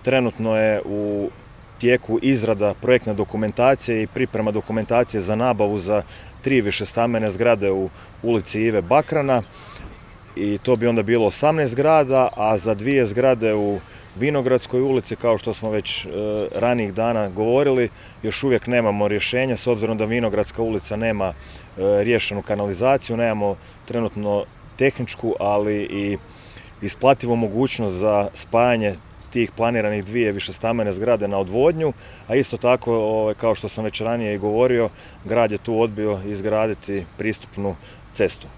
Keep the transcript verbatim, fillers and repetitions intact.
Trenutno je u tijeku izrada projektne dokumentacije i priprema dokumentacije za nabavu za tri višestambene zgrade u ulici Ive Bakrana i to bi onda bilo osamnaest zgrada, a za dvije zgrade u Vinogradskoj ulici, kao što smo već e, ranijih dana govorili, još uvijek nemamo rješenja s obzirom da Vinogradska ulica nema e, riješenu kanalizaciju, nemamo trenutno tehničku, ali i isplativu mogućnost za spajanje tih planiranih dvije višestambene zgrade na odvodnju, a isto tako, kao što sam već ranije i govorio, grad je tu odbio izgraditi pristupnu cestu.